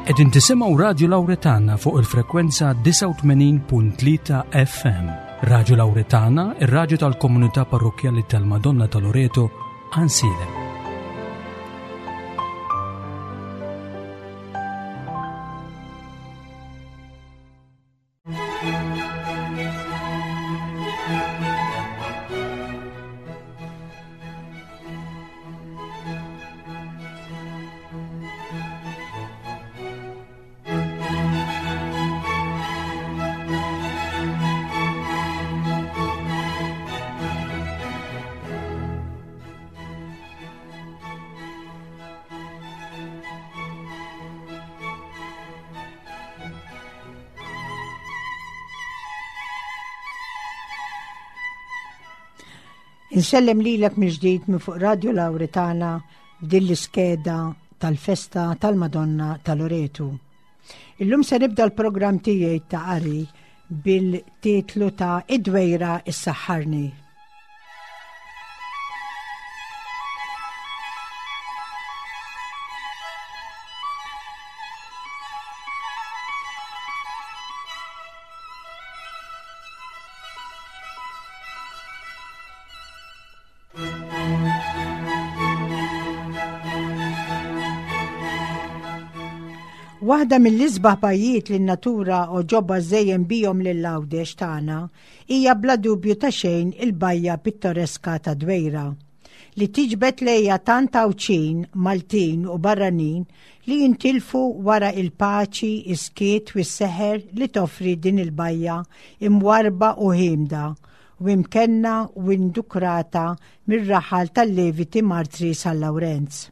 Qegħdin tisimgħu Radju Lawretana fuq il-frekwenza 89.3 FM. Radju Lawretana, ir-radju tal-komunità parrokkjali tal-Madonna ta' Loreto, Ansilem. Insellem lilek mill-ġdid minn fuq Radio Lawritana f'din l-iskeda tal-festa tal-Madonna ta' Loretu. Illum se nibda l-programm tiegħi ta' qari bil-titlu ta' Id-dwejra issaħħarni. Waħda mill-isbaħ bajjiet li n-natura oġobha żejjen bihom lil Għawdex tagħna hija bla dubju ta' xejn il-bajja pittoreska ta' Dwejra, li tiġbed lejha tant Għawdxin, Maltin u barranin li jintilfu wara il-paċi, is-skiet u s-seħer li toffri din il-bajja imwarrba u ħiemda u imkenna u indukrata mir-raħal tal-Leviti Martri San Lawrenz.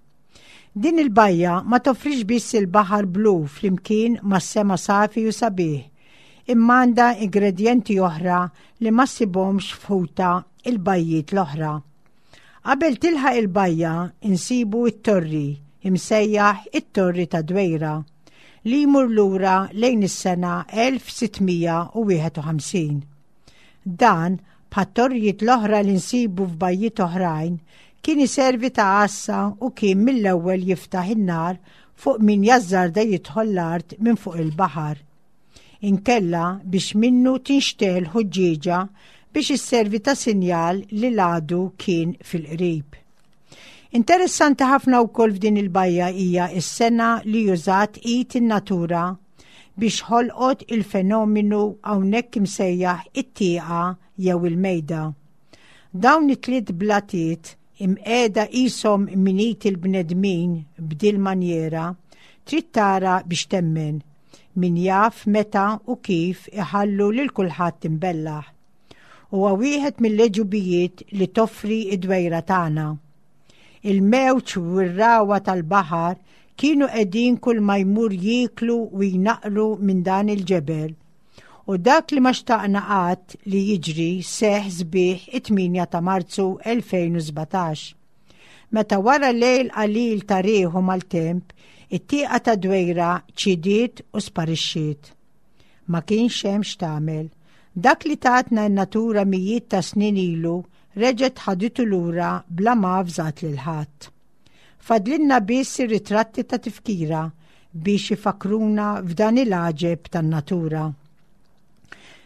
Din il-bajja ma toffrix biss il-baħar blu flimkien mas-sema safi u sabiħ, imma għandha ingredjenti oħra li ma ssibhomx f'ħuta il-bajjiet l-oħra. Qabel tilħaq il-bajja insibu t-torri, imsejjaħ it-Torri ta' Dwejra, li jmur lura lejn is-sena 1651. Dan, bħat-torrijiet l-oħra li nsibu f'bajjiet oħrajn, kien iservi ta' għassa u kien mill-ewwel jiftaħ in-nar fuq min jażżarda jidħol l-art minn fuq il-baħar. Inkella biex minnu tinxtegħel ħuġġieġa biex isservi ta' sinjal li l-għadu kien fil-qrib. Interessanti ħafna wkoll f'din il-bajja hija s-sengħa li użat id in-natura biex ħolqot il-fenomenu hawnhekk imsejjaħ it-tieqa jew il-mejda. Dawn it-tliet blatiet imqiegħda qishom minit il-bnedmin b'dil-manjera, trid tara biex temmen. Min jaf meta u kif iħallu lil kulħadd imbellaħ. Huwa wieħed mill-għeġubijiet li toffri d-dwejra tagħna. Il-mewġ u r-ragħwa tal-baħar kienu qegħdin kull ma jmur jieklu u jnaqqru minn dan il-ġebel. U dak li ma xtaqna qatt li jiġri seħħ sbieħ it-8 ta' Marzu 2017. Meta wara lejl qalil ta' riħ u maltemp, it-tieqa ta' Dwejra ċidiet u sparixxiet. Ma kienx hemm x'tagħmel. Dak li tatna n-natura mijiet ta' snin ilu reġgħet ħaditu lura bla ma avżat lil ħadd. Fadlilna biss ir-ritratti ta' tifkira biex ifakkruna f'dan il-għaġeb tan-natura.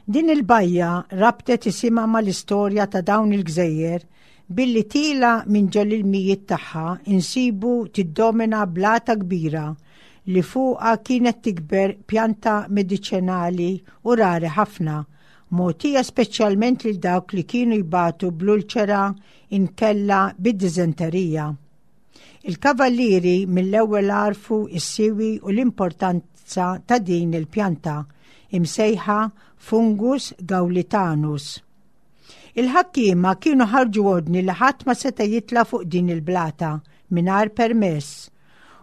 Din il-bajja rabtet isimha mal-istorja ta' dawn il-gżejjer billi tila minn ġol-ilmijiet tagħha insibu tiddomina blata kbira li fuqha kienet tikber pjanta mediċinali u rari ħafna, mogħtija speċjalment lil dawk li kienu jbatu bl-ulċera inkella bid-diżenterija. Il-kavallieri mill-ewwel għarfu s-siwi u l-importanza ta' din il-pjanta, imsejħa Fungus gaulitanus. Il-ħakkiema kienu ħarġu ordni li ħadd ma seta' jitla' fuq din il-blata mingħajr permess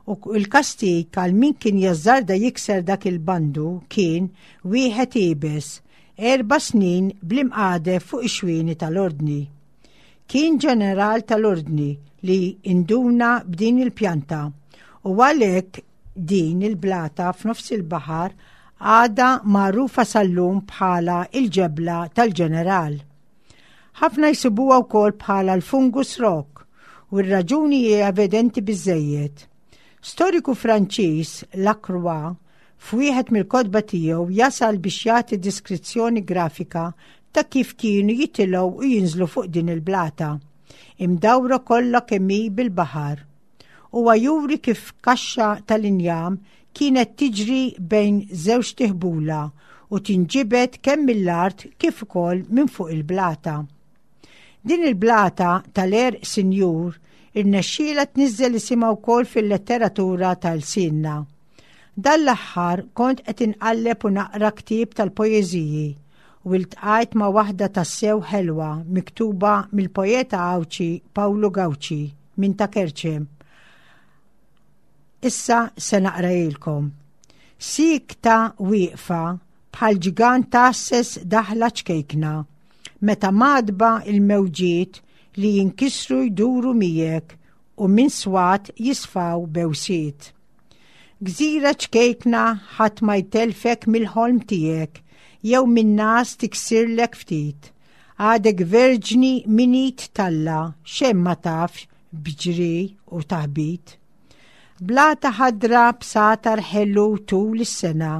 u l-kastig għal min kien jażżarda jikser dak il-bandu kien wieħed iebes, erba' snin bl-imqadef fuq ix-xwieni tal-ordni. Kien ġeneral tal-Ordni li induna b'din il-pjanta u għalhekk din il-blata f'nofs il-baħar għadha magħrufa sal-lum bħala il-ġebla tal-ġeneral. Ħafna jsibuha wkoll bħala l-fungus rock u r-raġuni hi evidenti biżżejjed. Storiku Franċiż, Lacroix, f'wieħed mill-kotba tiegħu jasal biex jagħti deskrizzjoni grafika ta' kif kienu jitilgħu u jinżlu fuq din il-blata, imdawra kollha kemm hi bil-baħar. Huwa juri kif kaxxa tal-injam kienet tiġri bejn żewġt iħbula u tinġibed kemm mill-art kif ukoll minn fuq il-blata. Din il-blata tal-għerq sinjur irnexxielha tniżżel isimha wkoll fil-letteratura ta' lsienna. Dan l-aħħar kont qed inqalleb u naqra ktieb tal-poeżiji u iltqajt ma' waħda tassew ħelwa miktuba mill-poeta Għawdxi Pawlu Gauci minn Ta' Kerċem. Issa se naqrajilkom. Sikta wieqfa bħal ġgant tgħasses daħla ċkejkna meta madba il-mewġiet li jinkisru jduru miegħek u minn swat jisfaw bewsiet. Gżira ċkejkna ħadd ma jtellfek mill-ħolm tiegħek jew min-ngħas tiksirlek ftit. Għadek verġni minn id t'Alla xejn ma tafx b'ġri u taħbit. Blata ħadra b'satar ħelu tul is-sena.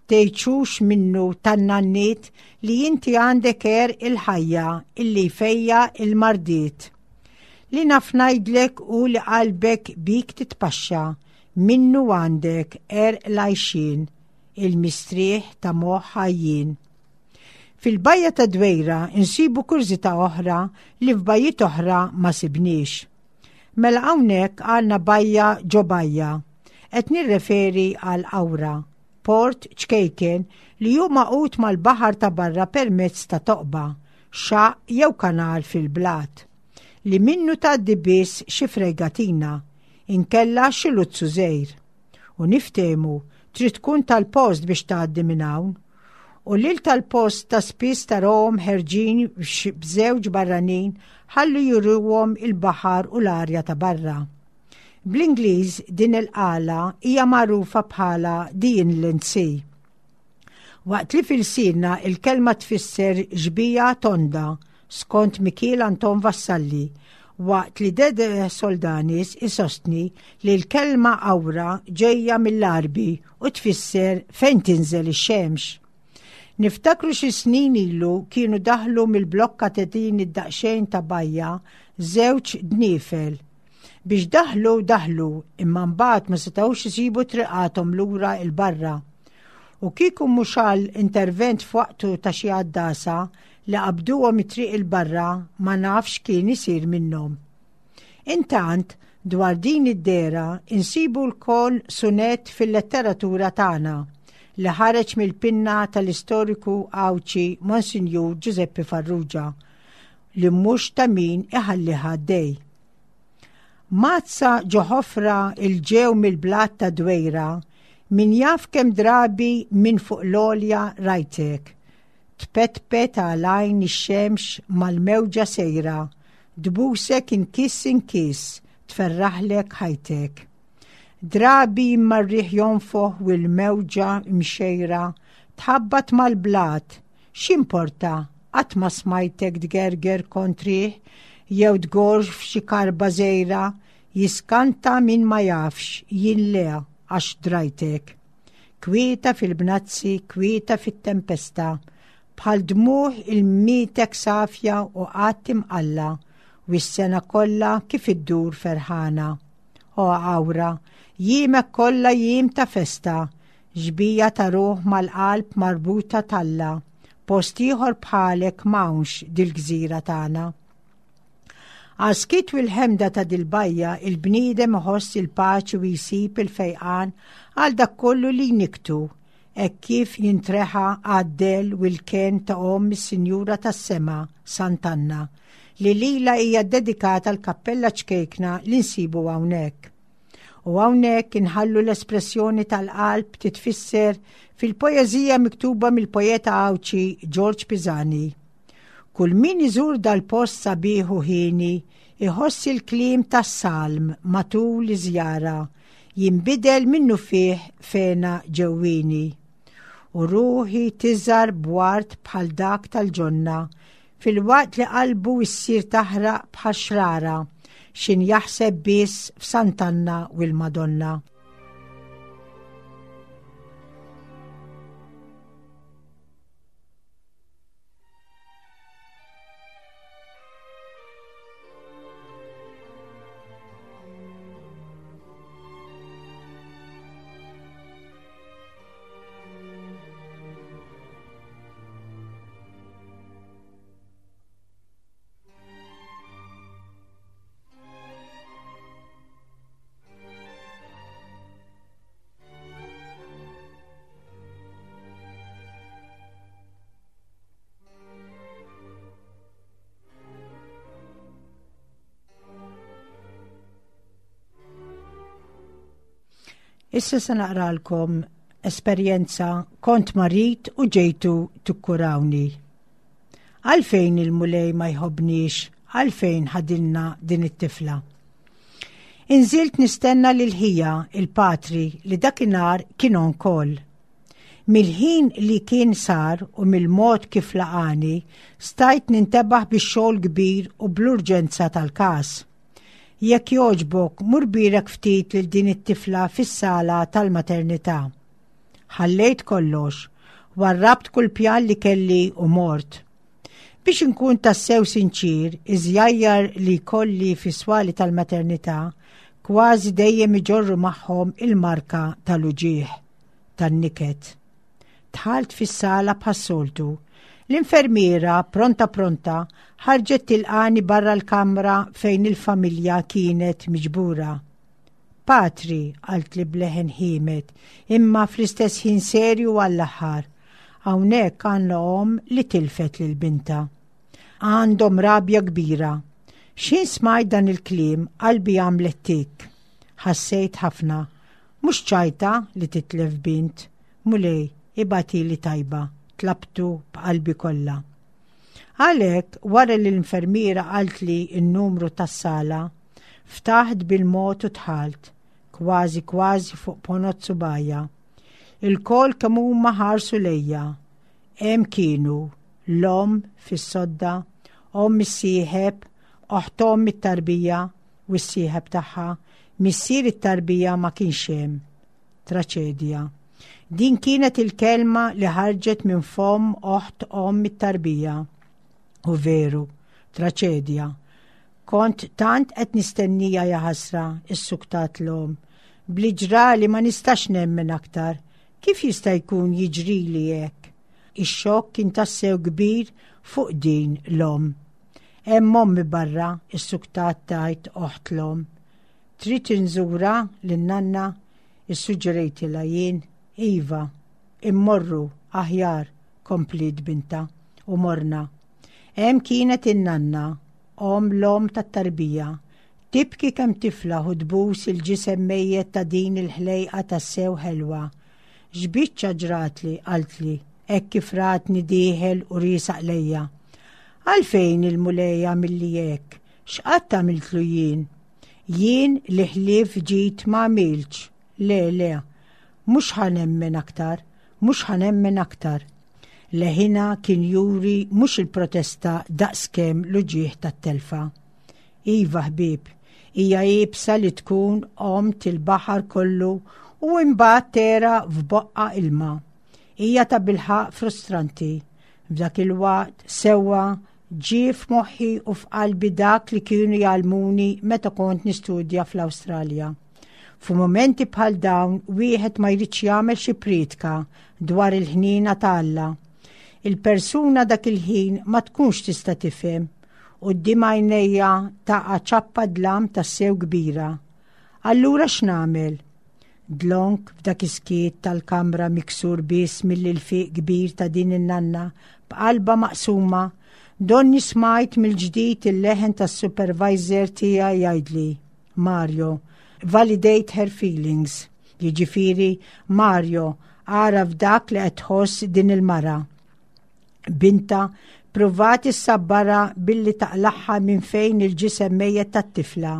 Tgħidxux minnu tan-nanniet li inti għandek għerq il-ħajja illi jfejjaq il-mardiet. Li naf ngħidlek hu li qalbek bik titpaxxa, minnu għandek għerq l-għajxien, il-mistrieħ ta' moħħ għajjien. Fil-bajja ta' Dwejra nsibu kurżità oħra li f'bajjiet oħra ma sibniex. Mela hawnhekk għandna bajja ġo bajja. Qed nirreferi għal Qawra, port ċkejken li hu magħqud mal-baħar ta' barra permezz ta' toqba, xaqq jew kanal fil-blat, li minnu tgħaddi biss xi fregatina, inkella xi luzzu żgħir. U niftehmu, trid tkun tal-post biex tgħaddi minn hawn. U lil tal-post ta' spiss tarahom ħerġin b'żewġ barranin ħalli juruhom il-baħar u l-arja ta' barra. Bl-Ingliż din il-qala hija magħrufa bħala the Inland Sea. Waqt li f'ilsienna il-kelma tfisser xbieha tonda, skont Mikiel Anton Vassalli, waqt li Dede Soldanis isostni li l-kelma awra ġejja mill-Għarbi u tfisser fejn tinżel ix-xemx. Niftakru xi snin ilu kienu daħlu mill-blokka ta' din id-daqsxejn ta' bajja żewġ dniefel. Biex daħlu daħlu imma mbagħad ma setgħux isibu triqathom lura 'l barra. U kieku mhux għal intervent f'waqtu ta' xi għaddasa li qabduhom it-triq 'il barra ma nafx x'kien isir minnhom. Intant, dwar din id-dehra insibu lkoll sunett fil-letteratura tagħna li ħareġ mill-pinna tal-istoriku Għawdxi Monsinjur Ġużeppi Farrugia li mhux ta' min iħallih għaddej. Mazza ġo ħofra il-ġew mill-blat ta' Dwejra, min jaf kemm drabi minn fuq l-għolja rajtek. Tpetpet għal għajn ix-xemx mal-mewġa sejra, tbusek inkiss inkiss, tferraħlek ħajtek. Drabi imma r-riħ jonfoħ u l-mewġa mxejra tħabbat mal-blat, x'importa qatt ma smajtek tgerger kontrih jew tgorr f'xi karba żgħira, jiskanta min ma jafx, jien le għax drajtek. Kwieta fil-bnazzi, kwieta fit-tempesta, bħal dmugħ il-mietek safja u qatt imqalla, u s-sena kollha kif iddur ferħana. O Awra, jiemek kollha jiem ta' festa, xbija ta' ruħ mal-qalb marbuta t'Alla, post ieħor bħalek m'hawnx dil-gżira tagħna. Għas-skiet u l-ħemda ta' dil-bajja il-bniedem iħoss il-paċi u jsib il-fejqan għal dak kollu li jnikktu, hekk kif jintreħa għad-dell u l-kenn ta' Omm is-Sinjura tas-Sema, Sant'Anna, li lilha hija ddedikata l-kappella ċkejkna li nsibu hawnhekk. U hawnhekk inħallu l-espressjoni tal-qalb titfisser fil-poeżija miktuba mill-poeta Għawdxi Ġorġ Pisani. Kull min iżur dal-post sabiħ u hieni iħoss il-kliem tas-salm matul iż-żjara jinbidel minnufih f'hena ġewwieni. U ruħi tiżhar b'ward bħal dak tal-ġonna filwaqt li qalbu issir taħraq bħal xrara. X'in jaħseb biss f'Sant'Anna u l-Madonna. Issa se naqralkom esperjenza kont marid u ġejtu tukkurawni. Għalfejn il-Mulej ma jħobbniex, għalfejn ħadilna din it-tifla. Inżilt nistenna lil ħija il-patri li dakinhar kien on call. Mill-ħin li kien sar u mill-mod kif laqani, stajt nintebaħ bix-xogħol kbir u bl-urġenza tal-każ. Jekk jogħġbok, mur birek ftit lil din it-tifla fis-sala tal-maternità. Ħallejt kollox, warrabt kull pjan li kelli u mort. Biex inkun tassew sinċir, iż-żjajjar li jkolli fis-swali tal-maternità kważi dejjem iġorru magħhom il-marka tal-uġigħ, tan-niket. Dħalt fis-sala bħas-soltu. L-infermiera, pronta pronta, ħarġet tilqani barra l-kamra fejn il-familja kienet miġbura. Patri, qaltli b'leħen ħiemed, imma fl-istess ħin serju għall-aħħar. Hawnhekk għandna omm li tilfet lil bintha. Għandhom rabja kbira. X'ħin smajt dan il-kliem qalbi għamlet tik. Ħassejt ħafna. Mhux ċajta li titlef bint. Mulej, ibagħtili tajba, tlabtu b'qalbi kollha. Għalhekk, wara li l-infermiera qaltli n-numru tas-sala, Ftaħt bil-mod u dħalt, kważi kważi fuq ponot subgħajja. Ilkoll kemm huma ħarsu lejja. Hemm kienu, l-omm fis-sodda, omm is-sieħeb, oħt omm it-tarbija u s-sieħeb tagħha, missier it-tarbija ma kienx hemm. Traċedja. Din kienet il-kelma li ħarġet minn fomm oħt omm it-tarbija. U veru, traċedja. Kont tant qed nistennija jaħasra, issuktat l-omm. Bli ġrali ma nistax nemmen aktar. Kif jista' jkun jiġrili hekk? Ix-xokk kien tassew kbir fuq din l-omm. Hemm ommi barra, issuktat tgħid oħt l-omm. Trid inżurha lin-nanna? Issuġġerejtilha jien. Iva, immorru, aħjar, kompliet bintha. U morna. Hemm kienet in-nanna, omm l-omm tat-tarbija, tibki kemm tiflaħ u tbus il-ġisem mejjet ta' din il-ħlejqa tassew ħelwa. X'biċċa ġratli, qaltli, hekk kif ratni dieħel u riesaq lejja. Għalfejn il-Mulej għamilli hekk? X'qatt għamiltlu jien? Jien li ħlief ġid ma għamiltx. Le, le, mhux ħa nemmen aktar, mhux ħa nemmen aktar. Leħinha kien juri mhux il-protesta daqskemm l-uġigħ tat-telfa. Iva ħbieb, hija iebsa li tkun għomt il-baħar kollu u imbagħad tegħraq f'boqqa ilma. Hija tabilħaqq frustranti. F'dak il-waqt sewwa ġie f'moħħi u f'qalbi dak li kienu jgħallmuni meta kont nistudja fl-Awstralja. F'mumenti bħal dawn wieħed ma jridx jagħmel xi prietka dwar il-ħniena ta' Alla. Il-persuna dak il-ħin ma tkunx tista' tifhem. Quddiem għajnejja taqa' ċappa dlam tassew kbira. Allura x'nagħmel? Dlonk f'dak is-skiet tal-kamra miksur biss mill-ilfiq kbir ta' din in-nanna b'qalbha maqsuma, donni smajt mill-ġdid il-leħen tas-supervisor tiegħi jgħidli, Mario, validate her feelings. Jiġifieri, Mario, agħraf dak li qed tħoss din il-mara. Binta pruvat issabbarha billi taqlagħha minn fejn il-ġisem mejjet tat-tifla.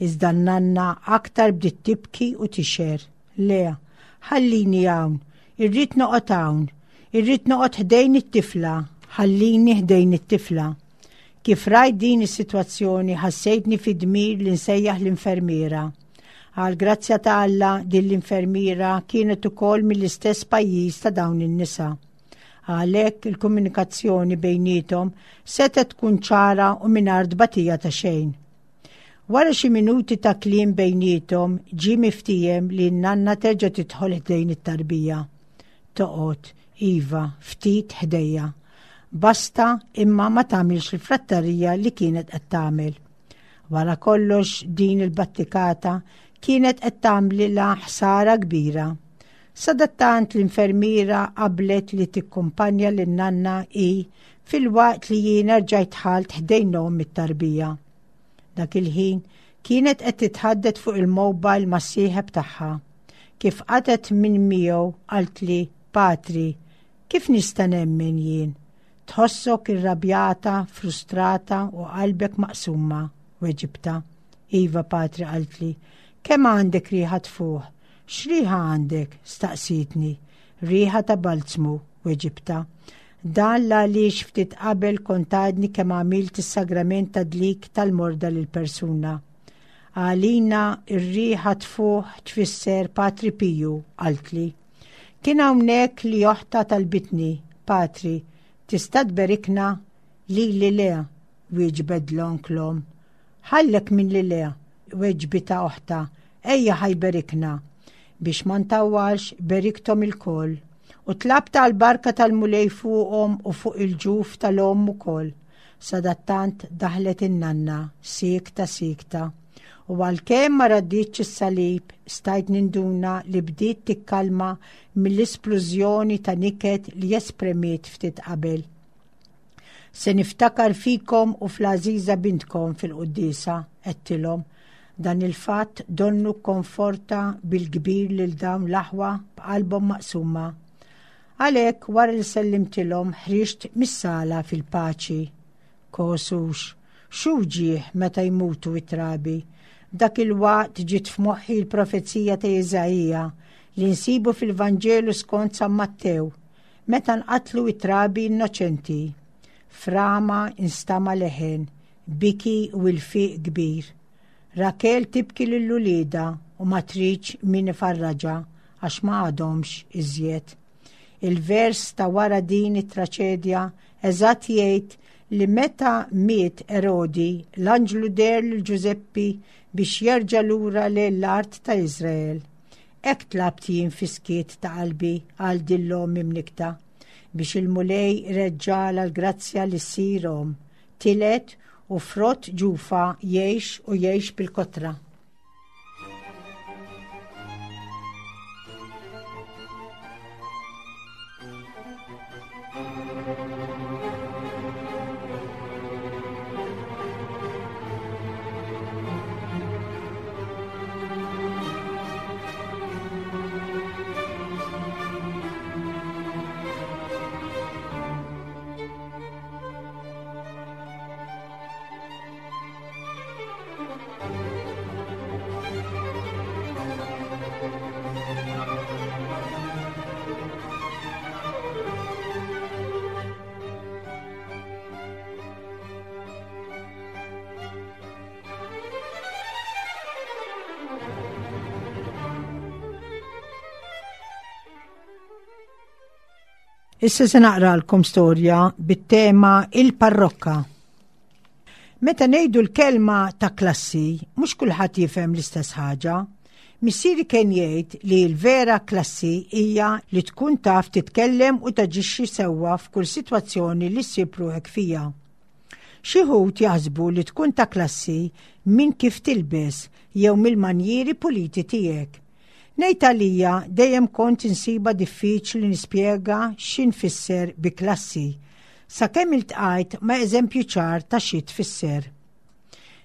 Iżda n-nanna aktar bdiet tibki u tixher. Le, ħallini hawn, irrid noqgħod hawn, irrid noqgħod ħdejn it-tifla, ħallini ħdejn it-tifla. Kif rajt din is-sitwazzjoni ħassejtni fi dmir li nsejjaħ l-infermiera. Għal grazzja ta' Alla din l-infermiera kienet ukoll mill-istess pajjiż ta' dawn in-nisa. Għalhekk il-komunikazzjoni bejniethom setgħet tkun ċara u mingħajr tbatija ta' xejn. Wara xi minuti ta' kliem bejniethom ġie miftiehem li n-nanna terġa' tidħol ħdejn it-tarbija. Toqgħod, iva, ftit ħdejja. Basta imma ma tagħmilx il-frattarija li kienet qed tagħmel. Wara kollox din il-battikata kienet qed tagħmlilha ħsara kbira. Sadattant l-infermiera qablet li tikkumpanja lin-nanna hi filwaqt li jiena rġajt dħalt ħdejn omm it-tarbija. Dak il-ħin kienet qed titħaddet fuq il-mobile mas-sieħeb tagħha. Kif qatgħet minn miegħu qaltli, Patri, kif nista' nemmen jien? Tħossok irrabjata, frustrata u qalbek maqsuma, weġibtha. Iva, Patri, qaltli, kemm għandek riħa tfuħ? X'riħa għandek? staqsietni. Riħa ta' balzmu, weġibtha. Dan l-għaliex ftit qabel kont għadni kemm għamilt is-sagrament ta' dlik tal-morda lil persuna. Għalina r-riħa tfuħ tfisser Patri Piju, qaltli. Kien hawnhekk li oħtha talbitni, Patri, tista' tberikna? Lili le, wieġbet dlonk l-omm. Ħallek minn li le, weġbitha oħtha, ejja ħa jberikna. Biex ma ntawwalx, berikthom ilkoll. U tlabt għall-barka tal-Mulej fuqhom u fuq il-ġuf tal-omm ukoll. Sadattant daħlet in-nanna, siekta siekta. U għalkemm ma radditx is-salib, stajt ninduna li bdiet tikkalma mill-isplużjoni ta' niket li espremiet ftit qabel. Se niftakar fikom u fl-għażiża bintkom fil-quddiesa, għedtilhom. Dan il-fatt donnu kkonforta bil-kbir lil dawn l-aħwa b'qalbhom maqsuma. Għalhekk wara li sellimtilhom ħriġt mis-sala fil-paċi. Kosux, x'uġigħ meta jmutu t-trabi. F'dak il-waqt ġiet f'moħħi l-profezija ta' Iżaija li nsibu fil-Vanġelu skont San Mattew, meta nqatlu t-trabi innoċenti. F'Rama instama' leħen, biki u ilfiq kbir. Rakel tibki lil uliedha u ma tridx min ifarraġha għax ma għadhomx iżjed. Il-vers ta' wara din it-traċedja eżatt jgħid li meta miet Erodi, l-anġlu deher lil Ġużeppi biex jerġa' lura lejn l-art ta' Iżrael. Hekk tlabt jien fis-skiet ta' qalbi għal din l-omm imnikkta, biex il-Mulej ireġġagħlha l-grazzja li ssir omm, tiled u frott ġufha jgħix u jgħix bil-kotra. Issa se naqralkom storja bit-tema il-parrokka. Meta ngħidu l-kelma ta' klassi, mhux kulħadd jifhem l-istess ħaġa. Missieri kien jgħid li l-vera klassi hija li tkun taf titkellem u taġixxi sewwa f'kull sitwazzjoni li ssib ruħek fija. Xi wħud jaħsbu li tkun ta' klassi minn kif tilbes jew mill-manjieri puliti tiegħek. Ngħid għalija dejjem kont insibha diffiċli nispjega xi nfisser bi klassi, sakemm iltqajt ma' eżempju ċar ta' xi tfisser.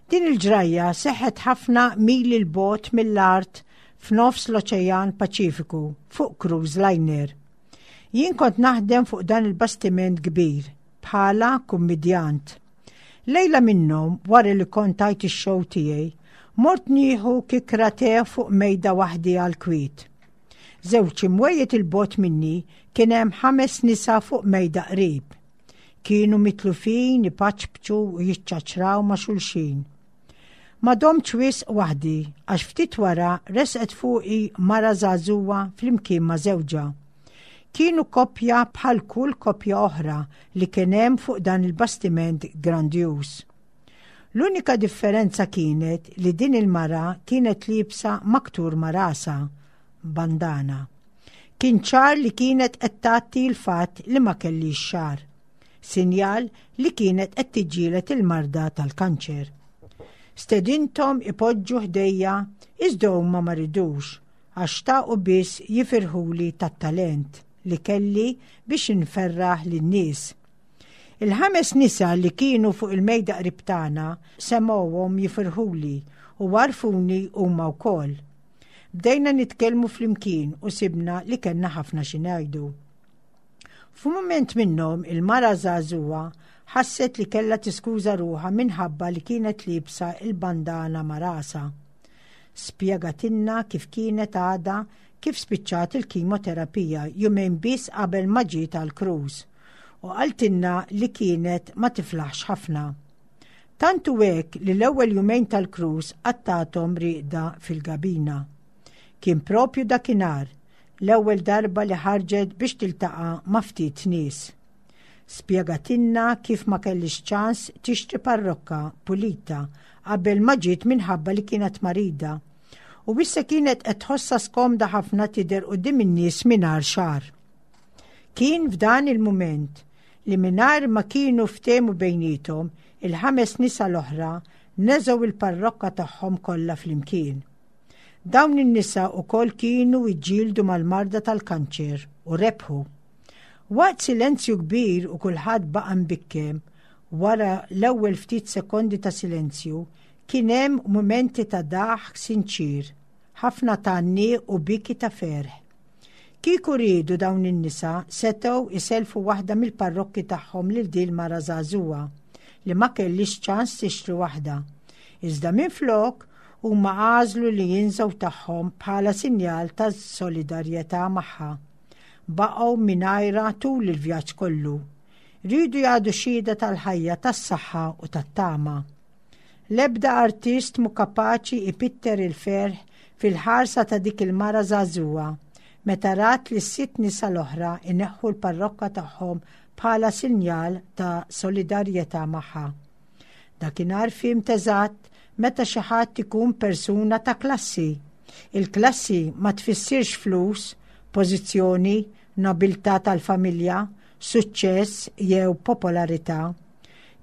Din il-ġrajja seħħet ħafna mili 'l bogħod mill-art f'nofs l-Oċean Paċifiku fuq cruise liner. Jien kont naħdem fuq dan il-bastiment kbir bħala kummidjant. Lejla minnhom, wara li kont tajt ix-show tiegħi, mort nieħu kikra te fuq mejda waħdi għall-kwiet. Żewġ imwejjed 'il bogħod minni kien hemm ħames nisa fuq mejda qrib. Kienu mitlufin ipaċpċu u jiċċaċraw ma' xulxin. Ma domtx wisq waħdi għax ftit wara resqet fuqi mara żagħżugħa flimkien ma' żewġha. Kienu koppja bħal kull koppja oħra li kien hemm fuq dan il-bastiment grandjuż. L-unika differenza kienet li din il-mara kienet liebsa maktur ma' rasha, bandana. Kien ċar li kienet qed tgħatti l-fatt li ma kellix xagħar. Sinjal li kienet qed tiġġieled il-marda tal-kanċer. Stedinthom ipoġġu ħdejja iżda huma ma ridux għax xtaqu biss jifirħuli tat-talent li kelli biex inferraħ lin-nies. Il-ħames nisa li kienu fuq il-mejda qrib tagħna semgħuhom jifirħuli u għarfuni huma wkoll. Bdejna nitkellmu flimkien u sibna li kellna ħafna xi ngħidu. F'mument minnhom il-mara żagħżugħa ħasset li kellha tiskuża ruħha minħabba li kienet liebsa il-bandana ma' rasha. Spjegatilna kif kienet għadha kif spiċċat il-kimoterapija jumejn biss qabel ma ġiet għall-cruise u qaltilna li kienet ma tiflaħx ħafna. Tant hu hekk li l-ewwel jumejn tal-cruise qattgħathom rieqda fil-gabina. Kien propju dakinhar l-ewwel darba li ħarġet biex tiltaqa' ma' ftit nies. Spjegatilna kif ma kellhiex ċans tixtri parrokka pulita qabel ma ġiet minħabba li kienet marida u issa kienet qed tħossha skomda ħafna tidher quddiem in-nies mingħajr xagħar. Kien f'dan il-mument li mingħajr ma kienu ftehmu bejniethom, il-ħames nisa l-oħra neżgħu l-parrokka tagħhom kollha flimkien. Dawn in-nisa wkoll kienu ġġieldu mal-marda tal-kanċer u rebħu. Waqt silenzju kbir u kulħadd baqa' mbikkem, wara l-ewwel ftit sekondi ta' silenzju, kien hemm mumenti ta' daħk sinċier, ħafna tgħanniq u biki ta' ferħ. Kieku riedu dawn in-nisa setgħu isellfu waħda mill-parrokki tagħhom lil din mara żagħżugħa li ma kellhiex ċans tixtri waħda. Iżda minflok huma għażlu li jinżgħu tagħhom bħala sinjal ta' solidarjetà magħha. Baqgħu mingħajrha tul il-vjaġġ kollu. Riedu jagħdu xhieda tal-ħajja, tas-saħħa u tat-tama. L-ebda artist mhu kapaċi ipitter il-ferħ fil-ħarsa ta' dik il-mara żagħżugħa meta rat li s-sitt nisa l-oħra ineħħu l-parrokka tagħhom bħala sinjal ta' solidarjetà magħha. Dakinhar fhimt eżatt meta xi ħadd ikun persuna ta' klassi. Il-klassi ma tfissirx flus, pożizzjoni, nobiltà tal-familja, suċċess jew popolarità.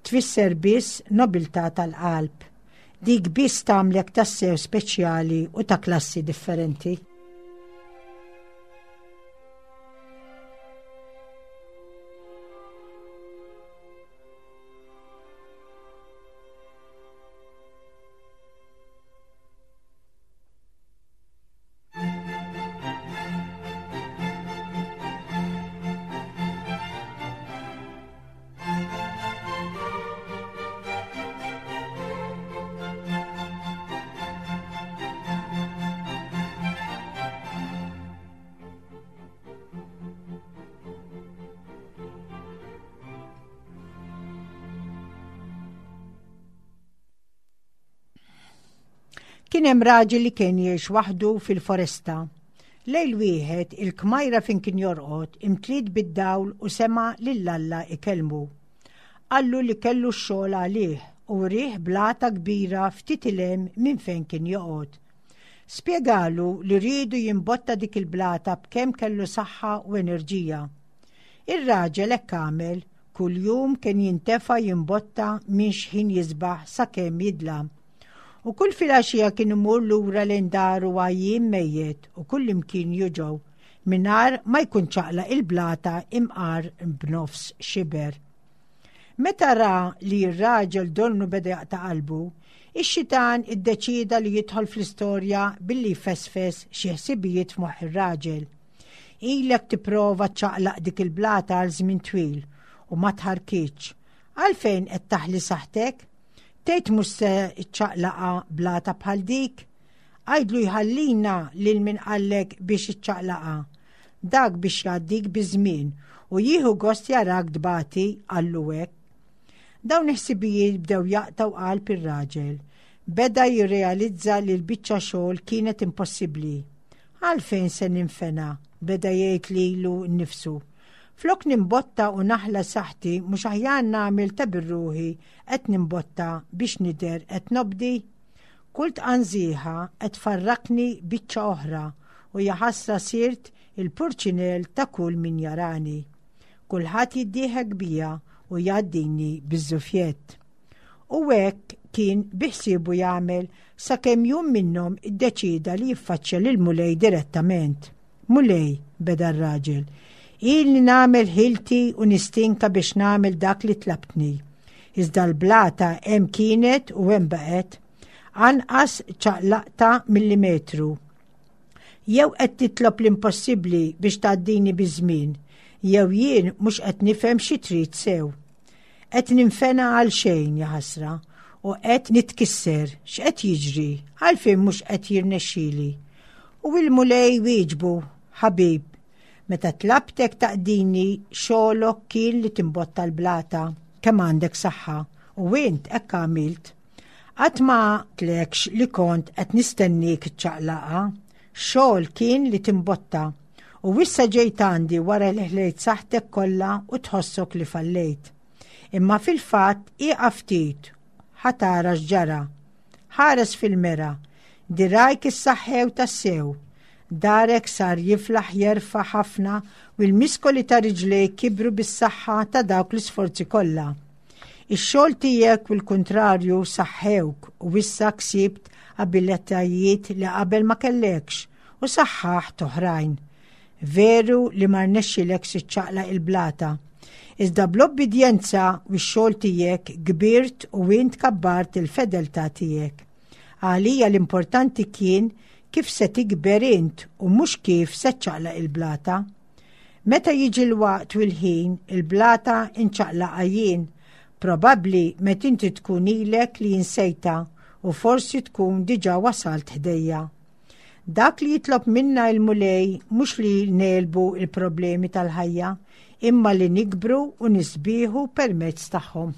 Tfisser biss nobiltà tal-qalb. Dik biss tagħmlek tassew speċjali u ta' klassi differenti. Kien hemm raġel li kien jgħix waħdu fil-foresta. Lejl wieħed il-kmajra fejn kien jorqod imtliet bid-dawl u sema' lil Alla ikellmu. Qallu li kellu x-xogħol għalih u wrieh blata kbira ftit 'il hemm minn fejn kien joqgħod. Spjegalu li riedu jimbotta dik il-blata b'kemm kellu saħħa u enerġija. Ir-raġel hekk għamel, kuljum kien jintefa' jimbotta minn x'ħin jisbaħ sakemm jidlam. U kull filgħaxija kien imur lura lejn daru għajjien mejjet u kullimkien juġgħu, mingħajr ma jkun ċaqlaq il-blata imqar b'nofs xiber. Meta ra li r-raġel donnu beda jaqta' qalbu, ix-xitan iddeċieda li jidħol fl-istorja billi jfesfes xi ħsibijiet f'moħħ ir-raġel. Ilek tipprova ċċaqlaq dik il-blata għal żmien twil u ma tħarkitx. Għalfejn qed taħli saħħtek? Tgħid mhux se ċċaqlaqha blata bħal dik? Għidlu jħallina lil min qallek biex iċċaqlaqha. Dak biex jgħaddik biż-żmien u jieħu gost jarak tbati qallu hekk. Dawn il-ħsibijiet bdew jaqtgħu qalb ir-raġel. Beda jirrealizza li l-biċċa xogħol kienet impossibbli. Għalfejn se ninfena? beda jgħid lilu nnifsu. Flok nimbotta u naħla saħħti mhux aħjar nagħmel ta' bir-ruħi qed nimbotta biex nidher qed nobdi? Kull tqanżiħa qed tfarrakni biċċa oħra u jaħasra sirt il-purċinell ta' kull min jarani. Kulħadd jiddieħek bija u jgħaddini biż-żufjett. U hekk kien biħsiebu jagħmel sakemm jum minnhom iddeċieda li jiffaċċja lill-Mulej direttament. Mulej, beda r-raġel, ilni nagħmel ħilti u nistinka biex nagħmel dak li tlabtni. Iżda l-blata hemm kienet u hemm baqgħet. Anqas ċaqlaqta millimetru. Jew qed titlob l-impossibbli biex tgħaddini biż-żmien, jew jien mhux qed nifhem xi trid sew. Qed ninfena għal xejn, jaħasra, u qed nitkisser, x'qed jiġri, għalfejn mhux qed jirnexxili. U l-Mulej wieġbu, Ħabib, meta tlabtek taqdini xogħlok kien li timbotta l-blata, kemm għandek saħħa, u int hekk għamilt. Qatt ma tlekx li kont qed nistennik iċċaqlaqa, xogħol kien li timbotta. U issa ġejt għandi wara li ħlejt saħħtek kollha u tħossok li fallejt. Imma fil-fatt ieqaf ftit ħa tara x'ġara. Ħares fil-mera, dirgħajk issaħħew tassew. Darek sar jiflaħ jerfa' ħafna u l-miskoli ta' riġlejk kibru bis-saħħa ta' dawk l-isforzi kollha. Ix-xogħol tiegħek u l-kuntrarju saħħewk u issa ksibt abilitajiet li qabel ma kellekx u saħħaħt oħrajn. Veru li ma rnexxilekx iċċaqlaq il-blata. Iżda bl-obbidjenza u x-xogħol tiegħek kbirt u int kabbart il-fedeltà tiegħek. Għalija l-importanti kien kif se tikber int u mhux kif se ċċaqlaq il-blata. Meta jiġi l-waqt u l-ħin, il-blata inċaqlaqha jien. Probabbli meta inti tkun ilek li insejtha u forsi tkun diġà wasalt ħdejja. Dak li jitlob minna il-Mulej mhux li negħlbu il-problemi tal-ħajja, imma li nikbru u nisbieħu permezz tagħhom.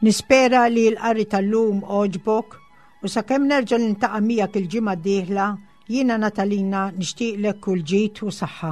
Nispera li l-qari tal-lum għoġbok u sakemm nerġa' nintaqa' miegħek il-ġimgħa d-dieħla jiena Natalina nixtieqlek kull ġid u saħħa.